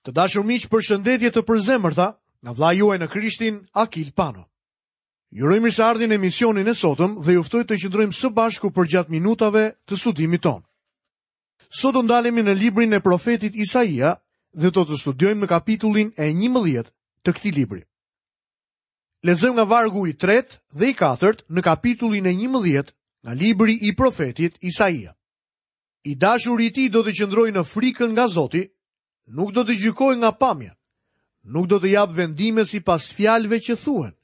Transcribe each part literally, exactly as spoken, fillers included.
Të dashur miq, përshëndetje të përzemërta nga vëllai juaj në Krishtin, Akil Pano. Ju uroj mirëseardhjen në emisionin e sotëm dhe ju ftoj të qëndrojmë së bashku përgjatë minutave të studimit tonë. Sot do ndalemi në librin e profetit Isaia dhe do të studiojmë në kapitullin e njëmbëdhjetë të këtij libri. Lexojmë nga vargu i tretë dhe i katërt në kapitullin e njëmbëdhjetë nga libri i profetit Isaia. I dashuri i tij do të qëndrojë në frikën nga Zoti, nuk do të gjykojë nga pamja, nuk do të japë vendime sipas fjalëve që thuhen,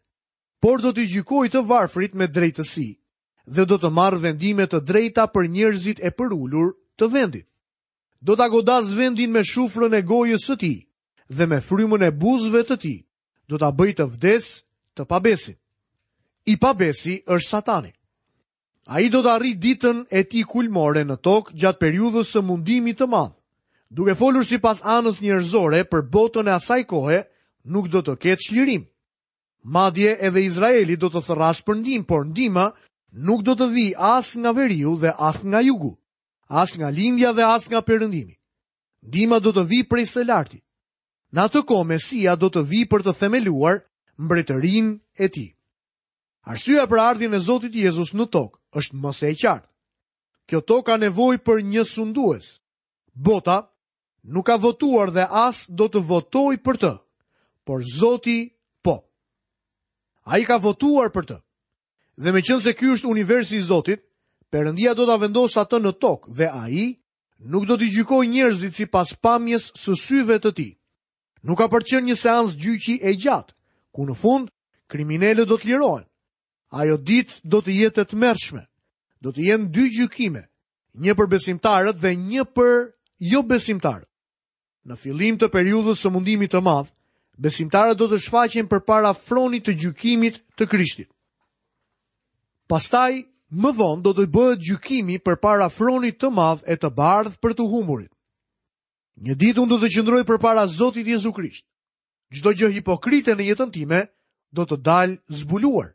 por do të gjykojë të varfrit me drejtësi dhe do të marrë vendime të drejta për njerëzit e përulur të vendit. Do ta godas vendin me shufrën e gojës së tij dhe me frymën e buzëve të tij, do ta bëjë të vdes të pabesin. I pabesi është Satani. Ai do të arrijë ditën e tij kulmore në tokë gjatë periudhës së mundimit të madh. Duke folur sipas anës njerëzore për botën e asaj kohe, nuk do të ketë çlirim. Madje edhe Izraeli do të thërras për ndihmë, por ndihma nuk do të vijë as nga veriu dhe as nga jugu, as nga lindja dhe as nga perëndimi. Ndihma do të vijë prej së larti. Në atë kohë Mesia do të vijë për të themeluar mbretërinë e tij. Arsyeja për ardhjen e Zotit Jezus në tokë është më se e qartë. Kjo tokë ka nevojë për një sundues. Bota nuk ka votuar dhe as do të votojë për të, por Zoti po. Ai ka votuar për të. Dhe meqense ky është universi i Zotit, Perëndia do ta vendosë atë në tokë dhe ai nuk do t'i gjykojë njerëzit sipas pamjes së syve të tij. Nuk ka për qenë një seancë gjyqi e gjatë, ku në fund kriminelët do të lirohen. Ajo ditë do të jetë e tmerrshme. Do të jenë dy gjykime, një për besimtarët dhe një për jobesimtarët. Në fillim të periudhës së mundimit të madh, besimtarët do të shfaqen përpara fronit të gjykimit të Krishtit. Pastaj, më vonë do të bëhet gjykimi përpara fronit të madh e të bardhë për të humburit. Një ditë unë do të qëndroj përpara Zotit Jezu Krisht. Çdo gjë hipokrite në jetën time do të dalë zbuluar.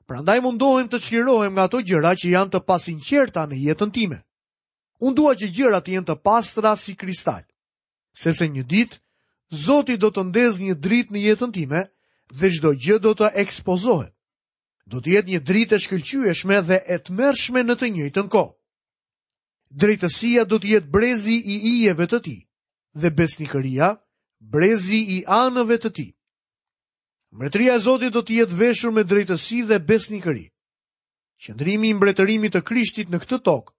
Prandaj mundohem të çlirohem nga ato gjëra që janë të pasinqerta në jetën time. Unë dua që gjërat të jenë të pastra si kristal, sepse një ditë Zoti do të ndezë një dritë në jetën time dhe çdo gjë do të ekspozohet. Do të jetë një dritë e shkëlqyeshme dhe e tmerrshme në të njëjtën kohë. Drejtësia do të jetë brezi i ijeve të tij dhe besnikëria brezi i anëve të tij. Mbretëria e Zotit do të jetë veshur me drejtësi dhe besnikëri. Qëndrimi i mbretërimit të Krishtit në këtë tokë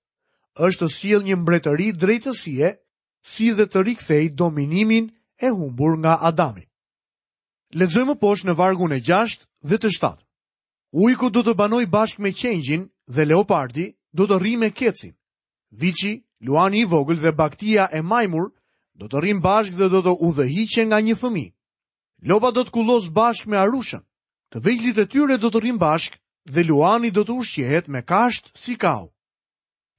është të sjellë një mbretëri drejtësie, si dhe të rikthej dominimin e humbur nga Adami. Lexojmë poshtë në vargun e gjashtë dhe të shtatë. Ujku do të banojë bashkë me qengjin dhe leopardi do të rrijë me kecin. Viçi, luani i vogël dhe baktia e majmur do të rrinë bashkë dhe do të udhëhiqen nga një fëmijë. Lopa do të kullos bashkë me arushën. Të vegjlit e tyre do të rrinë bashkë dhe luani do të ushqehet me kashtë si kau.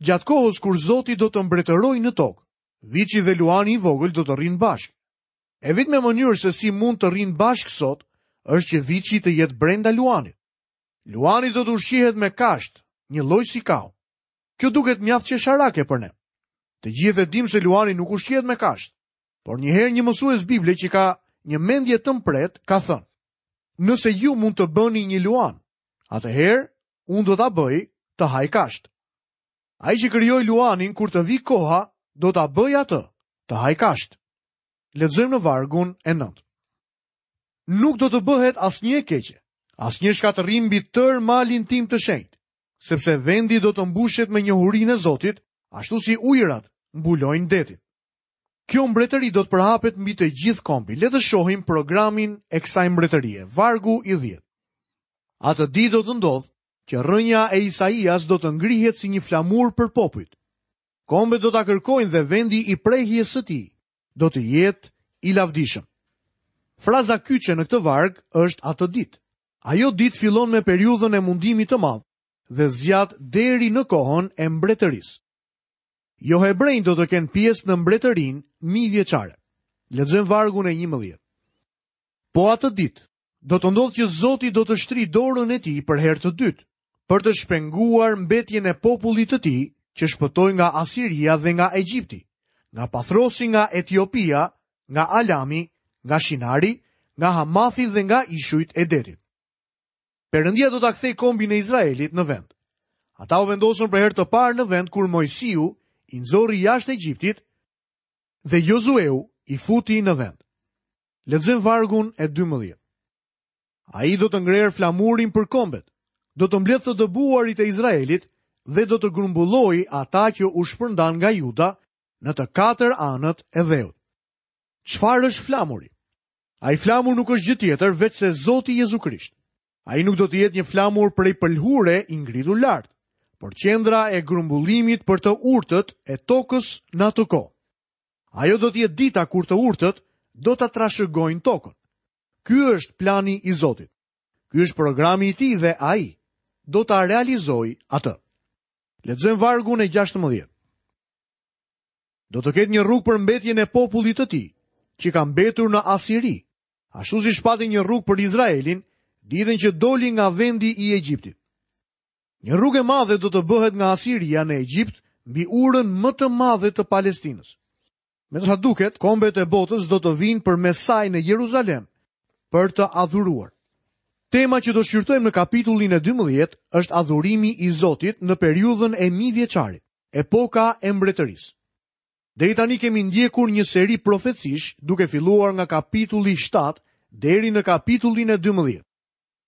Gjatë kohës kur Zoti do të mbretërojë në tokë, viçi dhe luani i vogël do të rrinë bashkë. E vetmja mënyrë se si mund të rrinë bashkë sot është që viçi të jetë brenda luanit. Luani do të ushqehet me kashtë, një lloj si kau. Kjo duket mjaft qesharake për ne. Të gjithë e dimë se luani nuk ushqehet me kashtë, por një herë një mësues Bible që ka një mendje të mprehtë ka thënë: Nëse ju mund të bëni një luan, atëherë unë do ta bëj të haj kashtë. Ai që krijoi luanin kur të vi koha, do ta bëj atë të haj kashtë. Lexojmë në vargun e nëntë. Nuk do të bëhet asnjë e keqe, asnjë shkatërrim mbi tërë malin tim të shenjtë, sepse vendi do të mbushet me njohurinë e Zotit, ashtu si ujërat mbulojnë detin. Kjo mbretëri do të përhapet mbi të gjithë kombin. Le të shohim programin e kësaj mbretërie, vargu i dhjetë. Atë ditë do të ndodhë që rrënja e Isaias do të ngrihet si një flamur për popujt. Kombet do ta kërkojnë dhe vendi i prehjes së tij do të jetë i lavdishëm. Fraza kyçe në këtë varg është atë ditë. Ajo ditë fillon me periudhën e mundimit të madh dhe zgjat deri në kohën e mbretërisë. Jo hebrejt do të kenë pjesë në mbretërinë mijëvjeçare. Lexojmë vargun e njëmbëdhjetë. Po atë ditë do të ndodhë që Zoti do të shtrijë dorën e tij për herë të dytë, për të shpenguar mbetjen e popullit të tij që shpëtoi nga Asiria dhe nga Egjipti, nga Pathrosi, nga Etiopia nga Alami, nga Shinari, nga Hamathi dhe nga ishujt e detit. Perëndia do ta kthejë kombin e Izraelit në vend. Ata u vendosën për herë të parë në vend kur Moisiu i nxori jashtë Egjiptit dhe Jozueu i futi në vend. Lexojmë vargun e dymbëdhjetë. Ai do të ngrerë flamurin për kombet, do të mbledhë të dëbuarit e Izraelit dhe do të grumbullojë ata që u shpërndan nga Juda në të katër anët e dheut. Çfarë është flamuri? Ai flamur nuk është gjë tjetër veçse Zoti Jezu Krisht. Ai nuk do të jetë një flamur prej pëlhure i ngritur lart, por qendra e grumbullimit për të urtët e tokës në atë kohë. Ajo do të jetë dita kur të urtët do ta trashëgojnë tokën. Ky është plani i Zotit. Ky është programi i tij dhe ai do ta realizojë atë. Lexojmë vargun e gjashtëmbëdhjetë. Do të ketë një rrugë për mbetjen e popullit të tij, që ka mbetur në Asiri, ashtu si shpati një rrugë për Izraelin, ditën që doli nga vendi i Egjiptit. Një rrugë e madhe do të bëhet nga Asiria në Egjipt mbi urën më të madhe të Palestinës. Me sa duket, kombet e botës do të vinë përmes saj në Jeruzalem për të adhuruar. Tema që do shqyrtojmë në kapitullin e dymbëdhjetë është adhurimi i Zotit në periudhën e mijëvjeçarit, epoka e mbretërisë. Deri tani kemi ndjekur një seri profecish duke filluar nga kapitulli shtatë deri në kapitullin e dymbëdhjetë.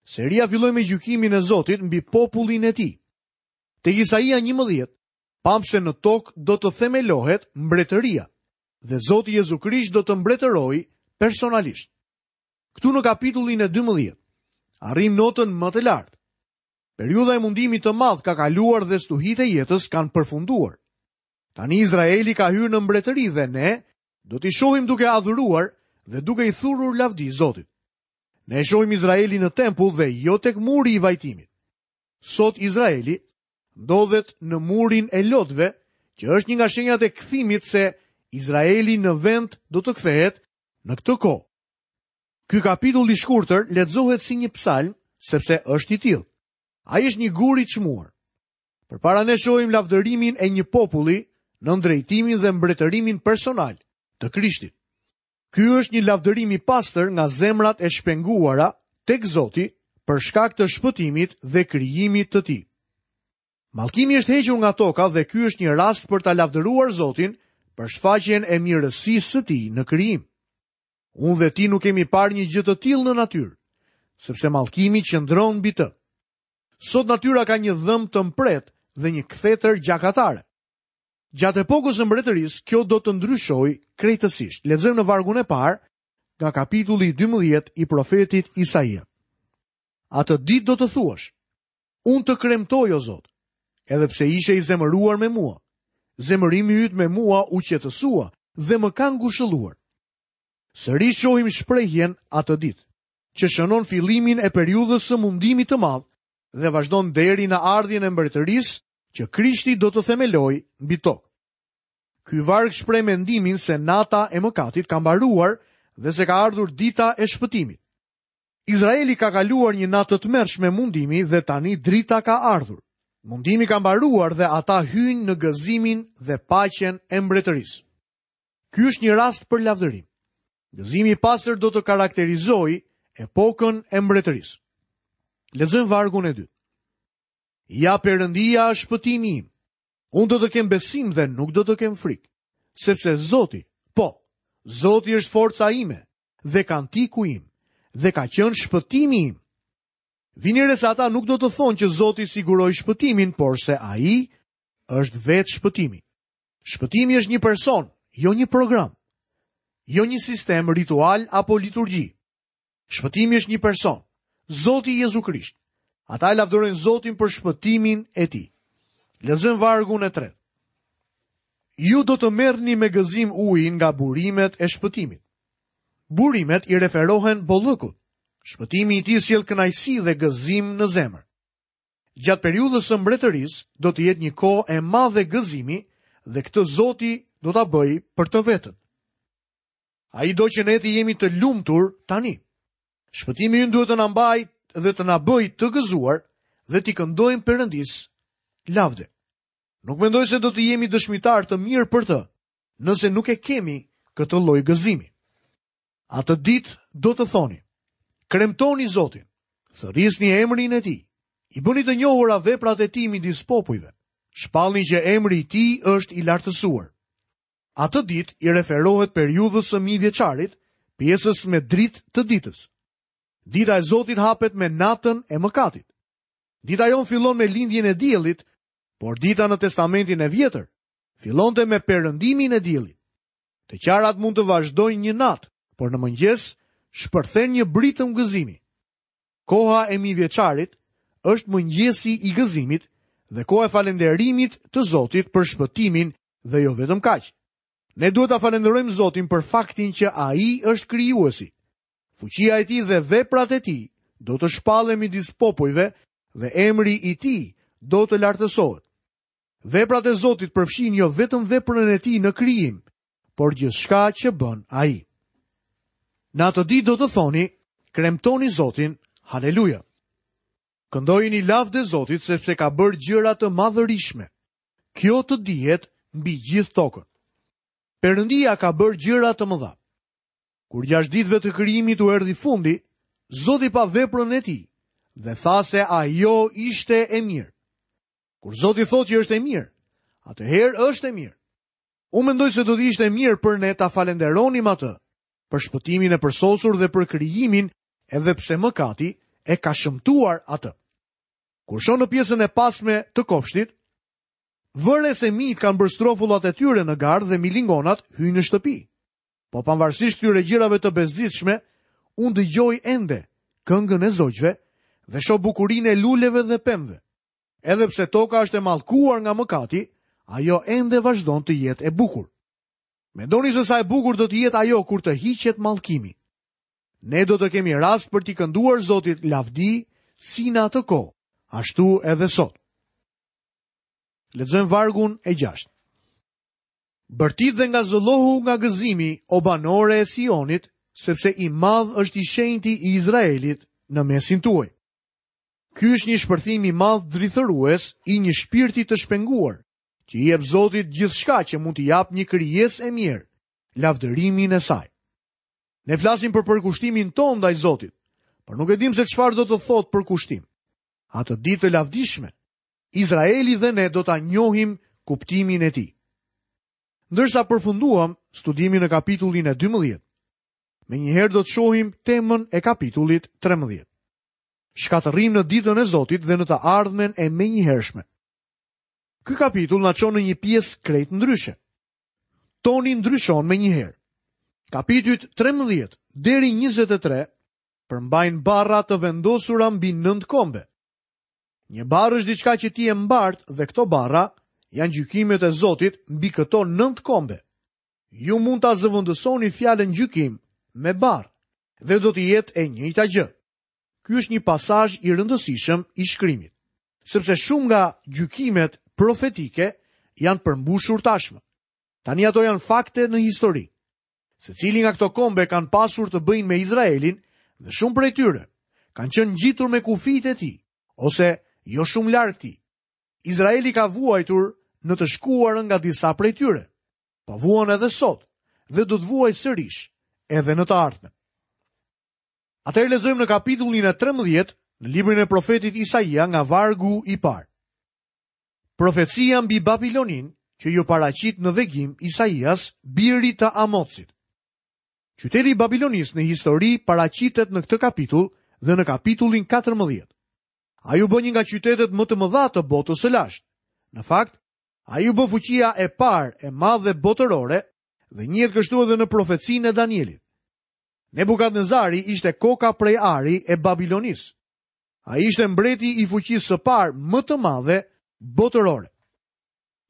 Seria filloi me gjykimin e Zotit mbi popullin e tij. Te Isaia njëmbëdhjetë, pamë se në tokë do të themelohet mbretëria dhe Zoti Jezu Krisht do të mbretërojë personalisht. Këtu në kapitullin e dymbëdhjetë, arrim notën më të lartë. Periudha e mundimit të madh ka kaluar dhe stuhitë e jetës kanë përfunduar. Tani Izraeli ka hyrë në mbretëri dhe ne do t'i shohim duke adhuruar dhe duke i thurur lavdi Zotit. Ne shohim Izraelin në tempull dhe jo tek muri i vajtimit. Sot Izraeli ndodhet në murin e lotëve, që është një nga shenjat e kthimit se Izraeli në vend do të kthehet në këtë kohë. Ky kapitull i shkurtër lexohet si një psalm, sepse është i tillë. Ai është një gur i çmuar. Përpara ne shohim lavdërimin e një populli në drejtimin dhe mbretërimin personal të Krishtit. Ky është një lavdërim i pastër nga zemrat e shpenguara tek Zoti për shkak të shpëtimit dhe krijimit të tij. Mallkimi është hequr nga toka dhe ky është një rast për ta lavdëruar Zotin për shfaqjen e mirësisë së tij në krijim. Unë dhe ti nuk kemi parë një gjë të tillë në natyrë, sepse mallkimi qëndron mbi të. Sot natyra ka një dhëmb të mprehtë dhe një kthetër gjakatare. Gjatë epokës së mbretërisë, kjo do të ndryshojë krejtësisht. Lexojmë në vargun e parë nga kapitulli dymbëdhjetë i profetit Isaia. Atë ditë do të thuash: Unë të kremtoj, o Zot, edhe pse ishe i zemëruar me mua. Zemërimi yt me mua u qetësua dhe më ka ngushëlluar. Sërish shohim shprehjen atë ditë, që shënon fillimin e periudhës së mundimit të madh dhe vazhdon deri në ardhjen e mbretërisë që Krishti do të themelojë mbi tokë. Ky varg shpreh mendimin se nata e mëkatit ka mbaruar dhe se ka ardhur dita e shpëtimit. Izraeli ka kaluar një natë të tmerrshme mundimi dhe tani drita ka ardhur. Mundimi ka mbaruar dhe ata hyjnë në gëzimin dhe paqen e mbretërisë. Ky është një rast për lavdërim. Gëzimi i pastër do të karakterizojë epokën e mbretërisë. Lexojmë vargun e dytë. Ja Perëndia është shpëtimi im. Unë do të kem besim dhe nuk do të kem frikë, sepse Zoti, po, Zoti është forca ime dhe kantiku im dhe ka qenë shpëtimi im. Vini re se ata nuk do të thonë që Zoti siguroi shpëtimin, por se ai është vetë shpëtimi. Shpëtimi është një person, jo një program, jo një sistem ritual apo liturgji. Shpëtimi është një person, Zoti Jezu Krisht. Ata e lavdërojnë Zotin për shpëtimin e tij. Lexojmë vargun e tretë. Ju do të merrni me gëzim ujin nga burimet e shpëtimit. Burimet i referohen bollëkut. Shpëtimi i tij sjell kënaqësi dhe gëzim në zemër. Gjatë periudhës së mbretërisë do të jetë një kohë e madhe gëzimi dhe këtë Zoti do ta bëjë për të vetët. Ai do që ne të jemi të lumtur tani. Shpëtimi ynë duhet të na mbajë dhe të na bëjë të gëzuar dhe t'i këndojmë Perëndisë lavde. Nuk mendoj se do të jemi dëshmitar të mirë për të, nëse nuk e kemi këtë lloj gëzimi. Atë ditë do të thoni: Kremtoni Zotin, thërrisni emrin e tij, i bëni të njohura veprat e tij midis popujve, shpallni që emri i tij është i lartësuar. Atë ditë i referohet periudhës së mijëvjeçarit, pjesës me dritë të ditës. Dita e Zotit hapet me natën e mëkatit. Dita jonë fillon me lindjen e diellit, por dita në Testamentin e Vjetër fillonte me perëndimin e diellit. Të qarat mund të vazhdojnë një natë, por në mëngjes shpërthen një britëm gëzimi. Koha e mijëvjeçarit është mëngjesi i gëzimit dhe koha e falënderimit të Zotit për shpëtimin dhe jo vetëm kaq. Ne duhet ta falënderojmë Zotin për faktin që Ai është krijuesi. Fuqia e tij dhe veprat e tij do të shpallen midis popujve dhe emri i tij do të lartësohet. Veprat e Zotit përfshijnë jo vetëm veprën e tij në krijim, por gjithçka që bën ai. Në atë ditë do të thoni: Kremtoni Zotin, haleluja. Këndojini lavde Zotit sepse ka bërë gjëra të madhërishme. Kjo të dihet mbi gjithë tokën. Perëndia ka bërë gjëra të mëdha. Kur gjashtë ditëve të krijimit u erdhi fundi, Zoti pa veprën e tij dhe tha se ajo ishte e mirë. Kur Zoti thotë që është e mirë, atëherë është e mirë. Unë mendoj se do të ishte mirë për ne ta falënderonim atë për shpëtimin e përsosur dhe për krijimin, edhe pse mëkati e ka shëmtuar atë. Kur shoh në pjesën e pasme të kopshtit, vëre se mijt kanë bërë strofullat e tyre në gardh dhe milingonat hyjnë në shtëpi. Po pavarësisht këtyre gjërave të bezditshme, unë dëgjoj ende këngën e zogjve dhe shoh bukurinë e luleve dhe pemëve. Edhe pse toka është e mallkuar nga mëkati, ajo ende vazhdon të jetë e bukur. Mendoni se sa e bukur do të jetë ajo kur të hiqet mallkimi. Ne do të kemi rast për t'i kënduar Zotit lavdi si në atë kohë, ashtu edhe sot. Lexojmë vargun e gjashtë. Bërtit dhe ngazëllohu nga gëzimi, o banore e Sionit, sepse i madh është i shenjti i Izraelit në mesin tuaj. Ky është një shpërthim i madh drithërues i një shpirti të shpenguar, që i jep Zotit gjithçka që mund t'i jap një krijesë e mirë, lavdërimin e saj. Ne flasim për përkushtimin tonë ndaj Zotit, por nuk e dim se çfarë do të thotë përkushtim. Atë ditë të lavdishme, Izraeli dhe ne do ta njohim kuptimin e tij. Ndërsa përfunduam studimin në kapitullin e dymbëdhjetë, menjëherë do të shohim temën e kapitullit trembëdhjetë. Shkatërrim në ditën e Zotit dhe në të ardhmen e menjëhershme. Ky kapitull na çon në një pjesë krejt ndryshe. Toni ndryshon menjëherë. Kapitujt trembëdhjetë deri njëzet e tre përmbajnë barra të vendosura mbi nëntë kombe. Një barrë është diçka që ti e mbart dhe këto barra janë gjykimet e Zotit mbi këto nëntë kombe. Ju mund ta zëvendësoni fjalën gjykim me barrë dhe do të jetë e njëjta gjë. Ky është një pasazh i rëndësishëm i shkrimit, sepse shumë nga gjykimet profetike janë përmbushur tashmë. Tani ato janë fakte në histori. Secili nga këto kombe kanë pasur të bëjnë me Izraelin dhe shumë prej tyre kanë qenë ngjitur me kufijtë e tij ose jo shumë larg tij. Izraeli ka vuajtur në të shkuarën nga disa prej tyre, po vuan edhe sot dhe do të vuajë sërish edhe në të ardhmen. Atëherë lexojmë në kapitullin e trembëdhjetë në librin e profetit Isaia nga vargu i parë. Profecia mbi Babilonin që ju paraqit në vegim Isaias, birit të Amotsit. Qyteti i Babilonisë në histori paraqitet në këtë kapitull dhe në kapitullin katërmbëdhjetë. Ai u bë një nga qytetet më të mëdha të botës së lashtë. Në fakt, ai u bë fuqia e parë e madhe botërore dhe njihet kështu edhe në profecinë e Danielit. Nebukadnezari ishte koka prej ari e Babilonisë. Ai ishte mbreti i fuqisë së parë më të madhe botërore.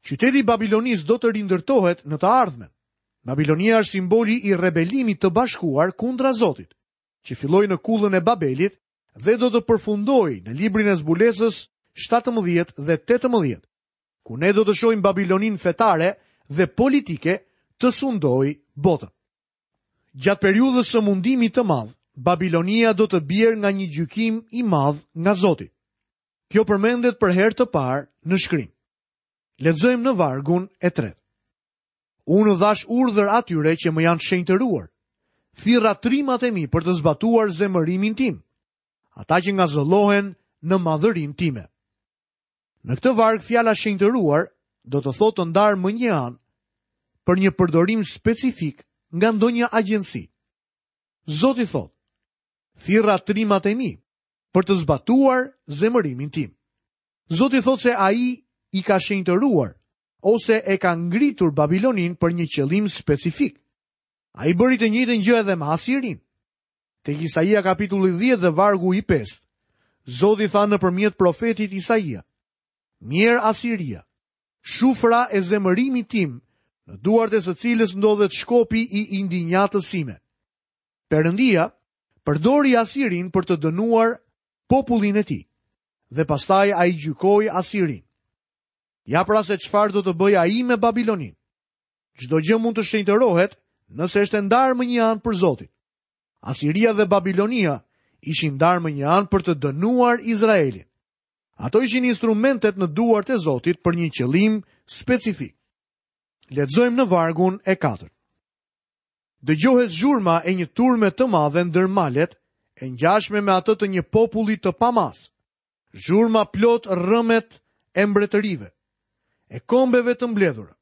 Qyteti i Babilonisë do të rindërtohet në të ardhmen. Babilonia është simboli i rebelimit të bashkuar kundra Zotit, që filloi në kullën e Babelit dhe do të përfundojë në librin e zbulesës shtatëmbëdhjetë dhe tetëmbëdhjetë, ku ne do të shohim Babiloninë fetare dhe politike të sundojë botën. Gjatë periudhës së mundimit të madh, Babilonia do të bjerë nga një gjykim i madh nga Zoti. Kjo përmendet për herë të parë në shkrim. Lexojmë në vargun e tretë. Unë u dhash urdhër atyre që më janë shenjtëruar. Thirra trimat e mi për të zbatuar zemërimin tim, ata që ngazëllohen në madhërinë time. Në këtë varg fjala shenjtëruar do të thotë të ndarë më një anë për një përdorim specifik nga ndonjë agjenci. Zoti thotë: Thirra trimat e mi për të zbatuar zemërimin tim. Zoti thotë se ai i ka shenjtëruar ose e ka ngritur Babilonin për një qëllim specifik. Ai bëri të njëjtën gjë edhe me Asirinë. Tek Isaia kapitulli dhjetë dhe vargu i pestë, Zoti tha nëpërmjet profetit Isaia: Mjerë Asiria, shufra e zemërimit tim, në duart e së cilës ndodhet shkopi i indinjatës sime. Perëndia përdori Asirin për të dënuar popullin e tij, dhe pastaj ai gjykoi Asirin. Ja pra se çfarë do të bëjë ai me Babilonin. Çdo gjë mund të shenjtërohet nëse është e ndarë më një anë për Zotin. Asiria dhe Babilonia ishin ndarë më një anë për të dënuar Izraelin. Ato ishin instrumentet në duart e Zotit për një qëllim specifik. Lexojmë në vargun e katërt. Dëgjohet zhurma e një turme të madhe ndër malet, e ngjashme me atë të një populli të pamas. Zhurma plot rrëmet e mbretërive, e kombeve të mbledhura.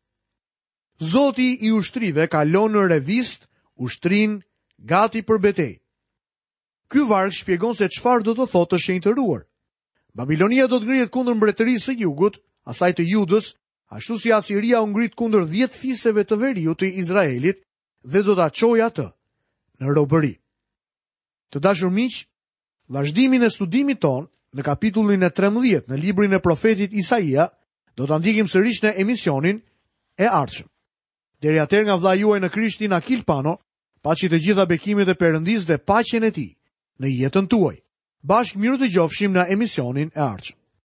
Zoti i ushtrive kalon në revist ushtrinë gati për betejë. Ky varg shpjegon se çfarë do të thotë të shenjtëruar. Babilonia do të ngrihet kundër mbretërisë së jugut, asaj të Judës, ashtu si Asiria u ngrit kundër dhjetë fiseve të veriut të Izraelit dhe do ta çojë atë në robëri. Të dashur miq, vazhdimin e studimit ton në kapitullin e trembëdhjetë në librin e profetit Isaia do ta ndjekim sërish në emisionin e ardhshëm. Deri atëherë nga vëllai juaj në Krishtin Akil Pano, paçi të gjitha bekimet e Perëndisë dhe paqen e tij në jetën tuaj. Bashkë mirë të dëgjofshim në emisionin e ardhshëm.